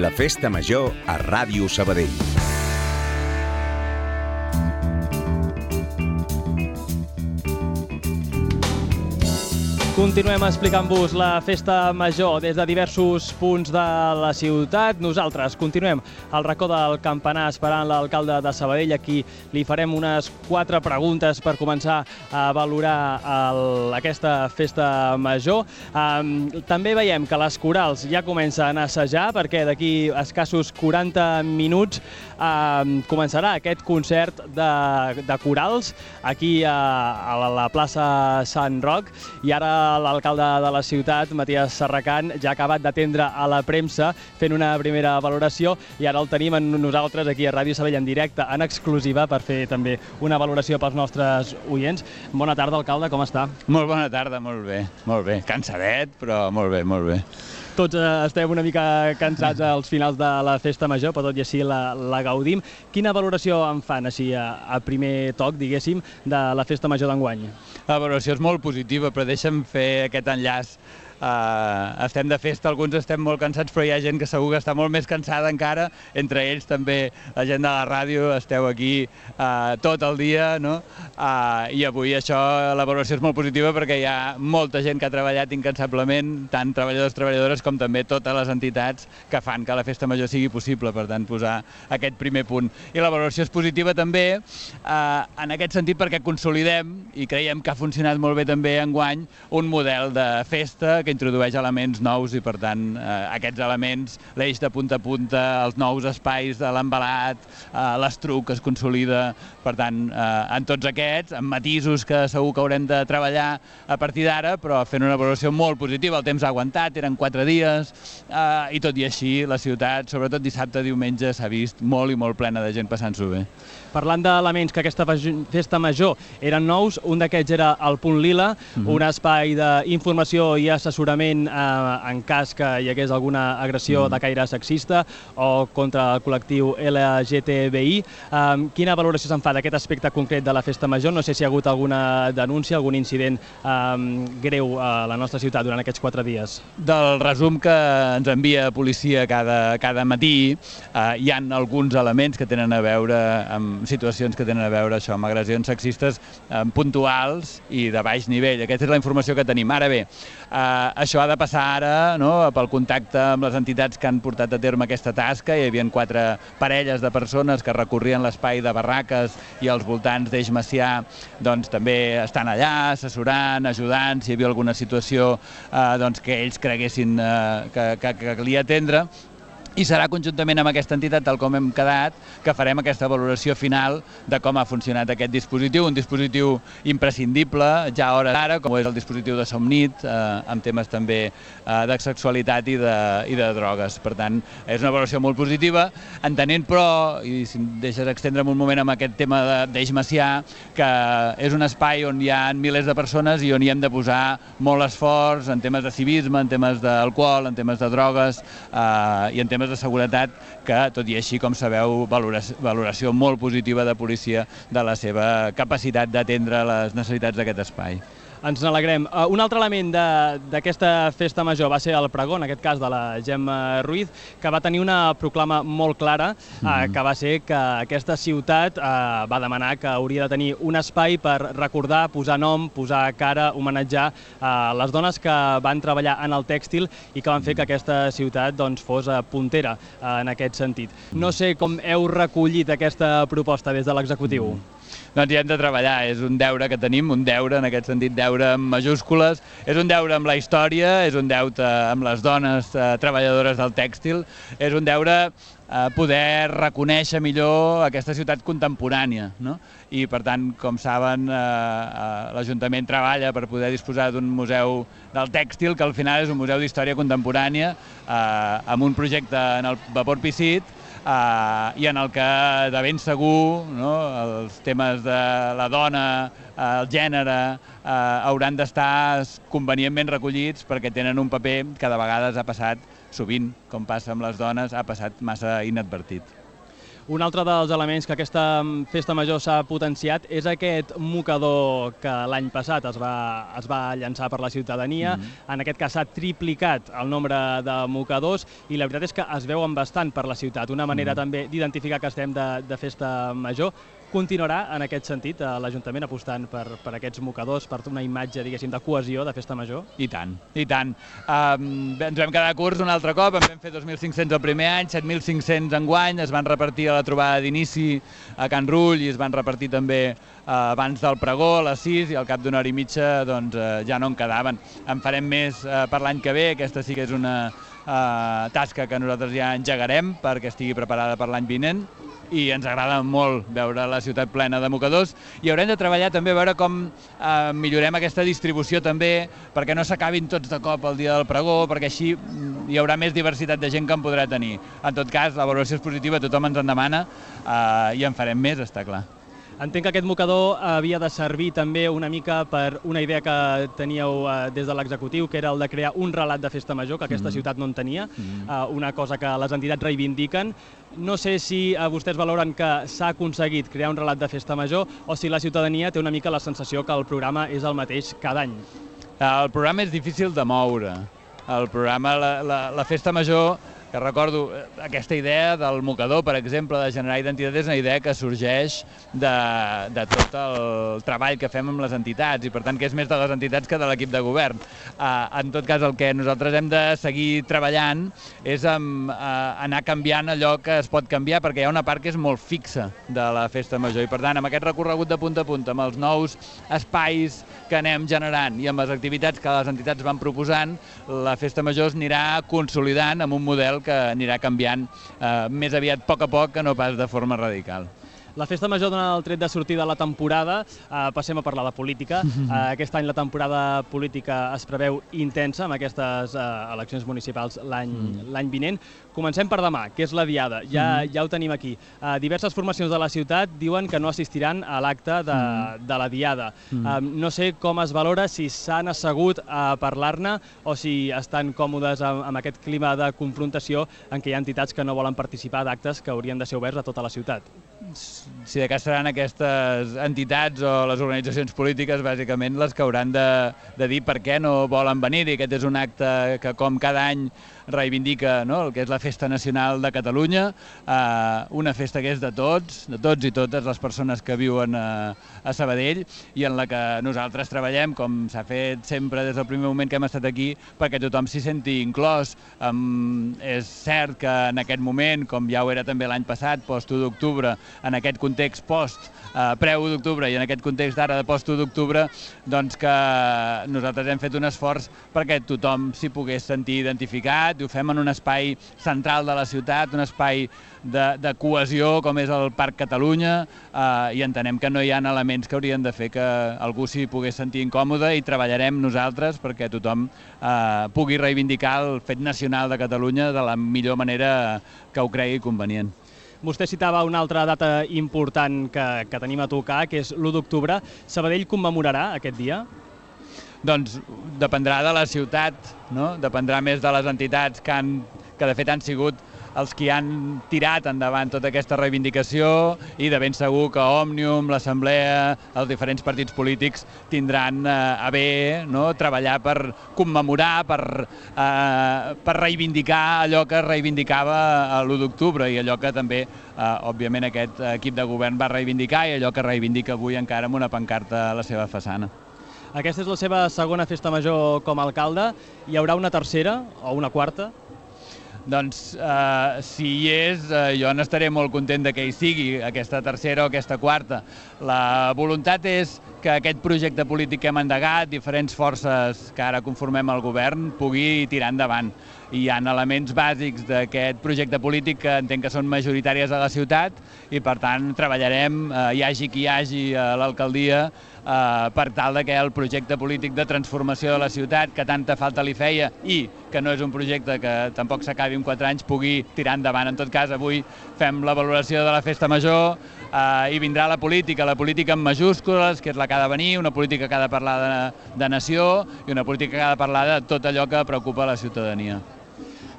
La Festa Major a Ràdio Sabadell. Continuem explicant-vos la Festa Major des de diversos punts de la ciutat. Nosaltres continuem al racó del campanar esperant l'alcalde de Sabadell. Aquí li farem unes 4 preguntes per començar a valorar aquesta Festa Major. També veiem que les corals ja comencen a assajar perquè d'aquí escassos 40 minuts començarà aquest concert de corals aquí a la plaça Sant Roc. I ara l'alcalde de la ciutat, Matías Serracant, ja ha acabat d'atendre a la premsa fent una primera valoració i ara el tenim amb nosaltres aquí a Ràdio Sabadell en directe, en exclusiva, per fer també una valoració pels nostres oients. Bona tarda, alcalde, com està? Molt bona tarda, molt bé. Cansadet, però molt bé. Tots estem una mica cansats als finals de la Festa Major, però tot i així la gaudim. Quina valoració en fan, així, a primer toc, diguéssim, de la Festa Major d'enguany? La valoració és molt positiva, però deixa'm fer aquest enllaç. Estem de festa, alguns estem molt cansats, però hi ha gent que segur que està molt més cansada encara, entre ells també la gent de la ràdio, esteu aquí tot el dia, no? I avui la valoració és molt positiva perquè hi ha molta gent que ha treballat incansablement, tant treballadors, treballadores, com també totes les entitats que fan que la Festa Major sigui possible, per tant, posar aquest primer punt. I la valoració és positiva també en aquest sentit perquè consolidem, i creiem que ha funcionat molt bé també enguany, un model de festa que introdueix elements nous i, per tant, aquests elements, l'eix de punta a punta, els nous espais de l'embalat, l'estruc que es consolida, per tant, en tots aquests, amb matisos que segur que haurem de treballar a partir d'ara, però fent una valoració molt positiva. El temps ha aguantat, eren 4 dies, i tot i així la ciutat, sobretot dissabte, diumenge, s'ha vist molt i molt plena de gent passant-s'ho bé. Parlant d'elements que aquesta Festa Major eren nous, un d'aquests era el Punt Lila, un espai d'informació i assessorament en cas que hi hagués alguna agressió de caire sexista o contra el col·lectiu LGTBI. Quina valoració se'n fa d'aquest aspecte concret de la Festa Major? No sé si hi ha hagut alguna denúncia, algun incident greu a la nostra ciutat durant aquests 4 dies. Del resum que ens envia policia cada matí, hi ha alguns elements que tenen a veure amb situacions que tenen a veure això, amb agressions sexistes puntuals i de baix nivell. Aquesta és la informació que tenim. Ara bé, això ha de passar ara pel contacte amb les entitats que han portat a terme aquesta tasca. Hi havia 4 parelles de persones que recorrien l'espai de barraques i als voltants d'Eix Macià, doncs també estan allà assessorant, ajudant, si hi havia alguna situació que ells creguessin que calia atendre. I serà conjuntament amb aquesta entitat, tal com hem quedat, que farem aquesta valoració final de com ha funcionat aquest dispositiu, un dispositiu imprescindible, ja a hores d'ara, com és el dispositiu de Somnit, amb temes també de sexualitat i de drogues. Per tant, és una valoració molt positiva, entenent però, i si em deixes extendre'm un moment amb aquest tema d'Eix Macià, que és un espai on hi ha milers de persones i on hi hem de posar molt esforç en temes de civisme, en temes d'alcohol, en temes de drogues i en temes de seguretat, que, tot i així, com sabeu, valoració molt positiva de policia de la seva capacitat d'atendre les necessitats d'aquest espai. Ens n'alegrem. Un altre element d'aquesta Festa Major va ser el pregó, en aquest cas de la Gemma Ruiz, que va tenir una proclama molt clara, que va ser que aquesta ciutat va demanar que hauria de tenir un espai per recordar, posar nom, posar cara, homenatjar les dones que van treballar en el tèxtil i que van fer que aquesta ciutat fos puntera en aquest sentit. No sé com heu recollit aquesta proposta des de l'executiu. Doncs hi hem de treballar, és un deure que tenim, un deure, en aquest sentit deure amb majúscules, és un deure amb la història, és un deute amb les dones treballadores del tèxtil, és un deure poder reconèixer millor aquesta ciutat contemporània. I, per tant, com saben, l'Ajuntament treballa per poder disposar d'un museu del tèxtil, que al final és un museu d'història contemporània, amb un projecte en el vapor Picit, i en el que de ben segur els temes de la dona, el gènere, hauran d'estar convenientment recollits perquè tenen un paper que de vegades ha passat sovint, com passa amb les dones, ha passat massa inadvertit. Un altre dels elements que aquesta festa major s'ha potenciat és aquest mocador que l'any passat es va llançar per la ciutadania. En aquest cas s'ha triplicat el nombre de mocadors i la veritat és que es veuen bastant per la ciutat. Una manera també d'identificar que estem de festa major. Continuarà en aquest sentit l'Ajuntament apostant per aquests mocadors, per una imatge, diguéssim, de cohesió de festa major? I tant, i tant. Ens vam quedar curts un altre cop, en vam fer 2.500 el primer any, 7.500 enguany, es van repartir a la trobada d'inici a Can Rull i es van repartir també abans del pregó, a les 6, i al cap d'una hora i mitja ja no en quedaven. En farem més per l'any que ve, aquesta sí que és una tasca que nosaltres ja engegarem perquè estigui preparada per l'any vinent, i ens agrada molt veure la ciutat plena de mocadors, i haurem de treballar també a veure com millorem aquesta distribució també, perquè no s'acabin tots de cop el dia del pregó, perquè així hi haurà més diversitat de gent que en podrà tenir. En tot cas, la valoració és positiva, tothom ens en demana i en farem més, està clar. Entenc que aquest mocador havia de servir també una mica per una idea que teníeu des de l'executiu, que era el de crear un relat de festa major, que aquesta ciutat no en tenia, una cosa que les entitats reivindiquen. No sé si vostès valoren que s'ha aconseguit crear un relat de festa major o si la ciutadania té una mica la sensació que el programa és el mateix cada any. El programa és difícil de moure. El programa, la festa major, que recordo aquesta idea del mocador, per exemple, de generar identitat, és una idea que sorgeix de tot el treball que fem amb les entitats, i per tant que és més de les entitats que de l'equip de govern. En tot cas, el que nosaltres hem de seguir treballant és anar canviant allò que es pot canviar, perquè hi ha una part que és molt fixa de la festa major, i per tant, amb aquest recorregut de punta a punta, amb els nous espais que anem generant i amb les activitats que les entitats van proposant, la festa major es anirà consolidant amb un model que anirà canviant més aviat a poc que no pas de forma radical. La festa major dona el tret de sortir de la temporada. Passem a parlar de política. Aquest any la temporada política es preveu intensa amb aquestes eleccions municipals l'any vinent. Comencem per demà, que és la Diada. Ja ho tenim aquí. Diverses formacions de la ciutat diuen que no assistiran a l'acte de la Diada. No sé com es valora, si s'han assegut a parlar-ne o si estan còmodes amb aquest clima de confrontació en què hi ha entitats que no volen participar d'actes que haurien de ser oberts a tota la ciutat. Si de cas seran aquestes entitats o les organitzacions polítiques, bàsicament, les que hauran de dir per què no volen venir. I aquest és un acte que, com cada any, reivindica el que és la Festa Nacional de Catalunya, una festa que és de tots i totes les persones que viuen a Sabadell, i en la que nosaltres treballem, com s'ha fet sempre des del primer moment que hem estat aquí, perquè tothom s'hi senti inclòs. És cert que en aquest moment, com ja ho era també l'any passat, post-1 d'octubre, en aquest context pre-1 d'octubre i en aquest context d'ara de post-1 d'octubre, doncs que nosaltres hem fet un esforç perquè tothom s'hi pogués sentir identificat, i ho fem en un espai central de la ciutat, un espai de cohesió com és el Parc Catalunya, i entenem que no hi ha elements que haurien de fer que algú s'hi pogués sentir incòmode, i treballarem nosaltres perquè tothom pugui reivindicar el fet nacional de Catalunya de la millor manera que ho cregui convenient. Vostè citava una altra data important que tenim a tocar, que és l'1 d'octubre. Sabadell commemorarà aquest dia? Doncs dependrà de la ciutat, dependrà més de les entitats que de fet han sigut els que han tirat endavant tota aquesta reivindicació, i de ben segur que Òmnium, l'Assemblea, els diferents partits polítics tindran a bé treballar per commemorar, per reivindicar allò que es reivindicava l'1 d'octubre i allò que també, òbviament, aquest equip de govern va reivindicar i allò que reivindica avui encara amb una pancarta a la seva façana. Aquesta és la seva segona festa major com a alcalde. Hi haurà una tercera o una quarta? Doncs, si hi és, jo n'estaré molt content que hi sigui, aquesta tercera o aquesta quarta. La voluntat és que aquest projecte polític que hem endegat, diferents forces que ara conformem el govern, pugui tirar endavant. Hi ha elements bàsics d'aquest projecte polític que entenc que són majoritàries a la ciutat, i per tant treballarem, hi hagi qui hi hagi a l'alcaldia, per tal que el projecte polític de transformació de la ciutat, que tanta falta li feia, i que no és un projecte que tampoc s'acabi en 4 anys, pugui tirar endavant. En tot cas, avui fem la valoració de la festa major, i vindrà la política en majúscules, que és la que ha de venir, una política que ha de parlar de nació i una política que ha de parlar de tot allò que preocupa la ciutadania.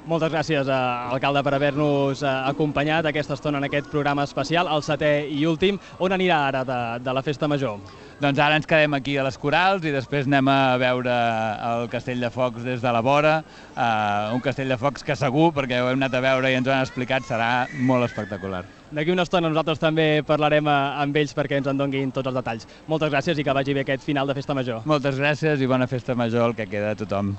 Moltes gràcies, alcalde, per haver-nos acompanyat aquesta estona en aquest programa especial, el 7è i últim. On anirà ara de la Festa Major? Doncs ara ens quedem aquí a les Corals i després anem a veure el Castell de Focs des de la vora, un Castell de Focs que segur, perquè ho hem anat a veure i ens ho han explicat, serà molt espectacular. D'aquí una estona nosaltres també parlarem amb ells perquè ens en donguin tots els detalls. Moltes gràcies i que vagi bé aquest final de Festa Major. Moltes gràcies i bona Festa Major, el que queda a tothom.